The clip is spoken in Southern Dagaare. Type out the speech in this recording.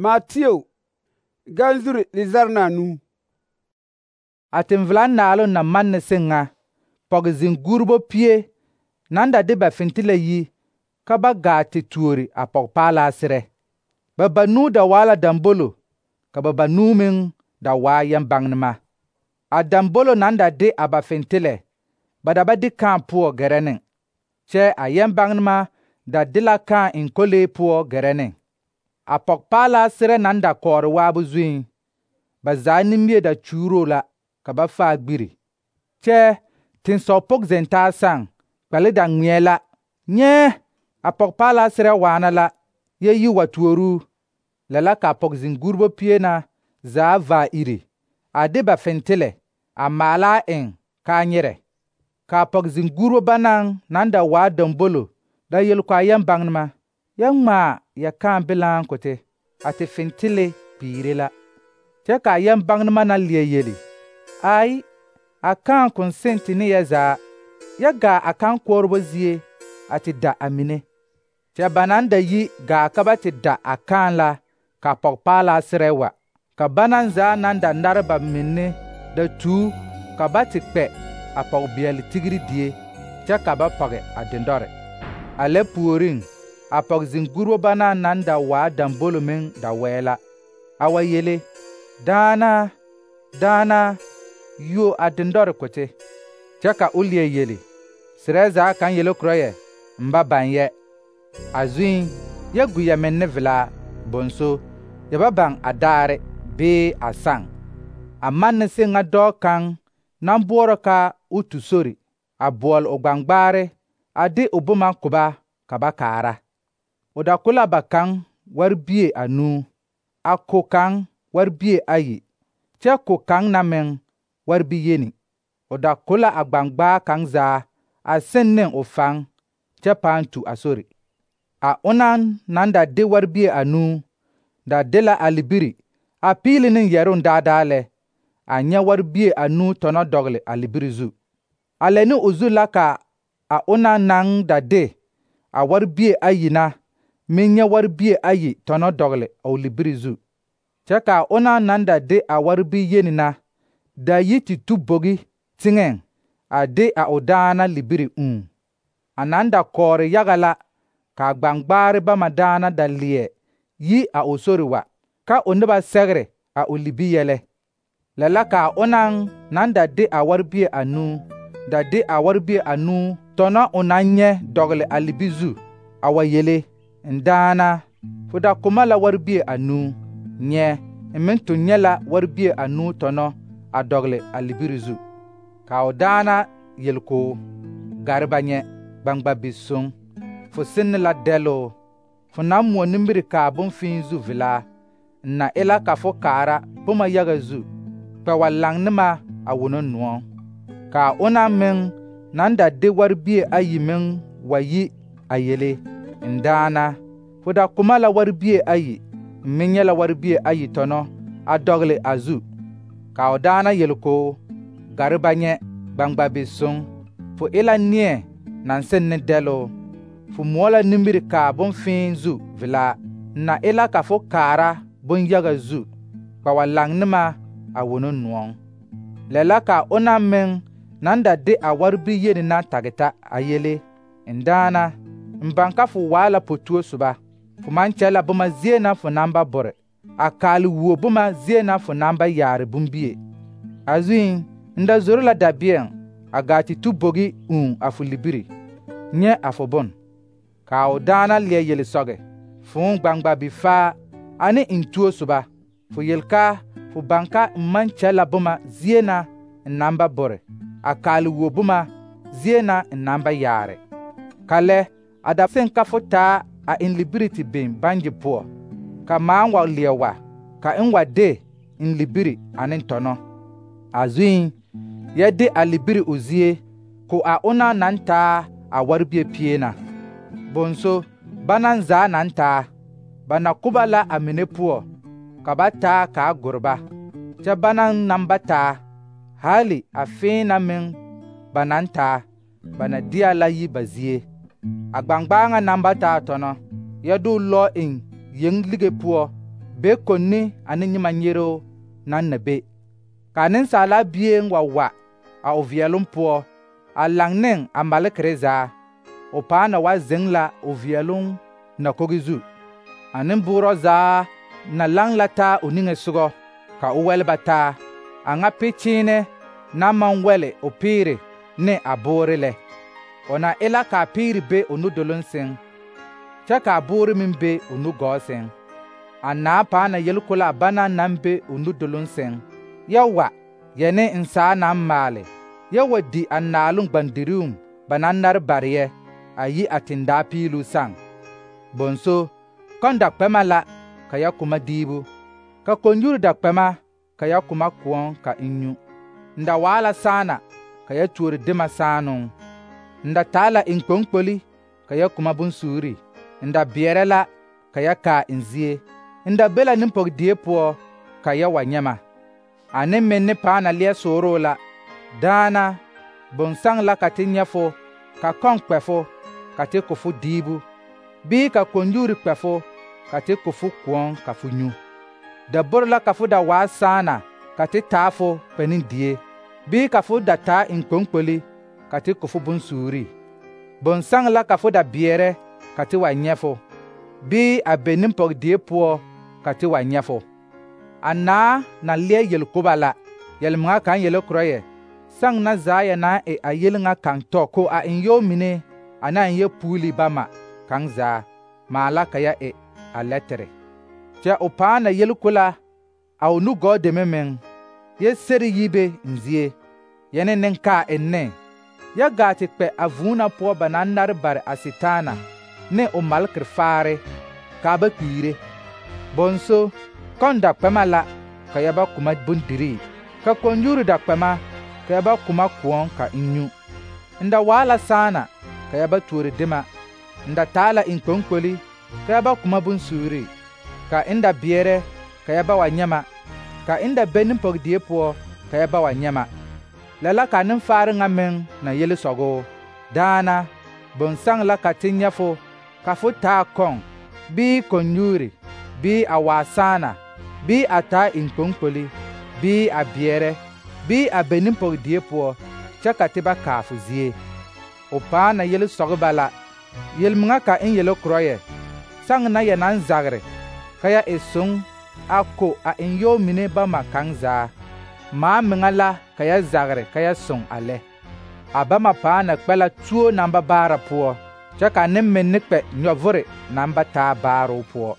Mateo, ganzuri lizar na nu. A tenvelan naaloŋ na manne seŋ ŋa, pɔge zeŋ-guurebo pie naŋ da de ba fentila yi ka ba gaa te tuori a pɔgepaalaa serɛ. Ba banuu da waa la dambolo, ka ba banuu meŋ da waa yɛm-baŋnema. A dambolo naŋ da de a ba fentile, ba da ba de kãã poɔ gɛrɛ ne, kyɛ a yɛm-baŋnema da de la kãã eŋ kolee poɔ gɛrɛ ne. A pɔgepaalaa serɛ naŋ da kɔɔre waabo zuiŋ, ba zaa nimie da kyuuroo la ka ba faa gbiri. Kyɛ tensɔg pʋg zeŋ taa saŋ, kpɛle da ŋmeɛ la. Nyɛɛ, a pɔgepaalaa serɛ waana la, yɛ yi wa tuoruu. Lɛ la ka a pɔge zeŋ-guurebo pie na zaa vaa iri, a de ba fentile a maala a eŋ kaa nyerɛ. Ka a pɔge zeŋ-guurebo banaŋ naŋ da waa dambolo da yel ko a yɛm-baŋnema: yɛ ŋmaa yɛ kãã bilaaŋ ko te, a te fentile piire la. Kyɛ ka a yɛm-baŋnema na leɛ yeli: ai, a kãã kõn seŋ te ne yɛ zaa, yɛ gaa a kãã-koɔrebo zie a te da a mine. Kyɛ ba naŋ da yi gaa ka ba te da a kãã la, ka a pɔgepaalaa serɛ wa. Ka banaŋ zaa naŋ da nare ba menne da tuu ka ba te kpɛ a pɔgebeɛle tigiri die, kyɛ ka ba pɔge a dendɔre. A lɛ puoriŋ, a pɔge zeŋ-guurebo banaŋ naŋ da waa dambolo meŋ da wɛɛ la, a wa yele: daana, daana, yuo a dendɔre ko te. Kyɛ ka o leɛ yeli: serɛ zaa kaŋ yele korɔ yɛ, n ba baŋ yɛ. A zuiŋ, yɛ gu yɛ menne velaa, bõnso, yɛ ba baŋ a daare bee a saŋ. A manne seŋ ŋa dɔɔ kaŋ naŋ boɔrɔ ka o tu sori, a boɔle o gbaŋgbaare, a de o boma ko ba ka ba kaara. O da ko la ba kaŋ warbie 2, a ko kaŋ warbie 2, kyɛ ko kaŋ na meŋ warbiyeni. O da ko la a gbaŋgbaa kaŋ zaa a seŋ ne o faŋ, kyɛ pãã tu a sori. A onaŋ naŋ da de warbie 2 da de la a libiri a piili ne yɛroŋ daadaa lɛ, a nyɛ warbie 2 tɔnɔ dɔgele a libiri zu. A lɛ ne o zu la ka a onaŋ naŋ da de a warbie 2 na meŋ nyɛ warbie 2 tɔnɔ dɔgele a o libiri zu. Kyɛ ka a onaŋ naŋ da de a warbiyeni na da yi te tu bogi teŋɛŋ a de a o daana libiri A naŋ da kɔɔre yaga la ka a gbaŋgbaare bama daana da leɛ yi a o sori wa, ka o noba sɛgre a o libi yɛlɛ. Lɛ la ka a onaŋ naŋ da de a warbie 2 da de a warbie 2 tɔnɔ o naŋ nyɛ dɔgele a libi zu, a wa yele: n daana, fo da ko ma la warbie 2, nyɛ, n meŋ tun nyɛ la warbie 2 tɔnɔ a dɔgele a libiri zu. Ka o daana yel ko: gare ba nyɛ, gbaŋgba-bi-soŋ, fo senne la dɛloo, fo naŋ moɔ nimiri kaa bonfii zu velaa, n na e la ka fo kaara boma yaga zu, kpɛ wa laŋ ne ma a wono noɔŋ. Ka a onaŋ meŋ naŋ da de warbie 2 meŋ wa yi a yele: n daana, fo da ko ma la warbie 2, n meŋ nyɛ la warbie 2 tɔnɔ a dɔgele a zu. Ka o daana yel ko: gare ba nyɛ, gbaŋgba-bi-soŋ, fo e la neɛ naŋ seŋ ne dɛloo, fo moɔ la nimiri kaa bonfii zu velaa, n na e la ka fo kaara bonyaga zu, kpɛ wa laŋ ne ma a wono noɔŋ. Lɛ la ka a onaŋ meŋ naŋ da de a warbiyeni na tage ta a yele: n daana, n baŋ ka fo waa la po-tuo soba, fo maŋ kyɛ la boma zie na fo naŋ ba bore, a kaale wuo boma zie na fo naŋ ba yaare bombie. A zuiŋ, n da zoro la dabeɛŋ a gaa te tu bogi a fo libiri, nyɛ a fo bon. Ka a o daana leɛ yele sɔge: fõõ gbaŋgba-bi-faa ane n tuo soba, fo yel ka fo baŋ ka n maŋ kyɛ la boma zie na n naŋ ba bore, a kaale wuo boma zie na n naŋ ba yaare. Ka lɛ, a da seŋ ka fo taa a n libiri te biŋ bangye poɔ, ka maaŋ wa leɛ wa, ka n wa de n libiri ane tɔnɔ. A zuiŋ, yɛ de a libiri o zie ko a onaŋ naŋ taa a warbie pie na. Bõnso, banaŋ zaa naŋ taa, ba na ko ba la a mine poɔ, ka ba taa kaa gore ba. Kyɛ banaŋ naŋ ba taa, hali a fẽẽ na meŋ ba naŋ taa, ba na deɛ la yi ba zie. A gbaŋgbaa ŋa naŋ ba taa tɔnɔ, yɛ de o lɔ eŋ yeŋ lige poɔ be konni ane nyima nyero naŋ na be. Ka Nensaala Bie wa a o veɛloŋ poɔ a laŋ ne a malekere zaa. O paa na wa zeŋ la o veɛloŋ nakogi zu. A nemboorɔ zaa na laŋ la taa o niŋesogɔ ka o wɛleba taa, a ŋa pekyeene naŋ maŋ wɛle o peere ne a boore lɛ. O na e la ka a peere be o nudoloŋ sɛŋ, kyɛ ka a boore meŋ be o nugɔɔ sɛŋ. A naa paa na yele ko la a banaŋ naŋ be o nudoloŋ sɛŋ, yɛ wa yɛ ne nsaa naŋ maale, yɛ wa di a naaloŋ gbandirum ba naŋ nare bare yɛ a yi a tendaa piiluu saŋ. Bonso, kɔŋ dakpɛma la ka yɛ kuma diibu, ka konyuri dakpɛma ka yɛ kuma koɔŋ ka eŋ nyu. N da waa la saana ka yɛ tuori dema saanoŋ. N da taa la eŋkpoŋkpoli ka yɛ kuma bonsuuri. N da beɛrɛ la ka yɛ kaa eŋ zie. N da be la nempɔgedie poɔ ka yɛ wa nyɛ ma. A nemmenne paa na leɛ sooroo la. Daana, bonsaŋ la ka te nyɛ fo, ka kɔŋ kpɛ fo, ka te ko fo diibu, bii ka konyuri kpɛ fo, ka te ko fo koɔŋ ka fo nyu. Daboro la ka fo da waa saana ka te taa fo kpɛ-ne-die, bii ka fo da taa eŋkpoŋkpoli ka te ko fo bonsuuri. Bonsaŋ la ka fo da beɛrɛ ka te wa nyɛ fo, bii a be nempɔgedie poɔ ka te wa nyɛ fo. A naa na leɛ yelkoba la, yelmeŋa kaŋ yele korɔ yɛ, saŋ na zaa yɛ naŋ e a yel ŋa kaŋ tɔ ko a eŋyɔɔ mine ane a eŋyɛ puuli bama kaŋ zaa, maa la ka yɛ e a lɛ tere. Kyɛ o paa na yele ko la a o nugɔɔ deme meŋ, yɛ seri yi be n zie, yɛ ne nenkaa enne, yɛ gaa te kpɛ a vūū na poɔ ba naŋ nare bare a Setaana ne o malekere faare, kaa ba kpiire. Bonso, kɔŋ dakpɛma la ka yɛ ba kuma bondirii, ka konyuri dakpɛma ka yɛ ba kuma koɔŋ ka eŋ nyu. N da waa la saana ka yɛ ba tuori dema. N da taa la eŋkpoŋkpoli ka yɛ ba kuma bonsuuri, ka n da beɛrɛ ka yɛ ba wa nyɛ ma, ka n da be nempɔgedie poɔ ka yɛ ba wa nyɛ ma. Lɛ la ka nenfaare ŋa meŋ na yele sɔgoo. Daana, bonsaŋ la ka te nyɛ fo, ka fo taa kɔŋ, bii konyuri, bii a waa saana, bii a taa eŋkpoŋkpoli, bii a beɛrɛ, bii a be nempɔgedie poɔ, kyɛ ka te ba kaa fo zie. O paa na yele sɔge ba la. Yelmeŋa ka n yele korɔ yɛ, saŋ na yɛ naŋ zagre ka yɛ e soŋ a ko a eŋyɔɔ mine bama kaŋ zaa, maa meŋa la ka yɛ zagre ka yɛ soŋ a lɛ. A bama paa na kpɛ la tuo naŋ ba baara poɔ, kyɛ ka nemmenne kpɛ nyɔvore naŋ ba taa baaroo poɔ.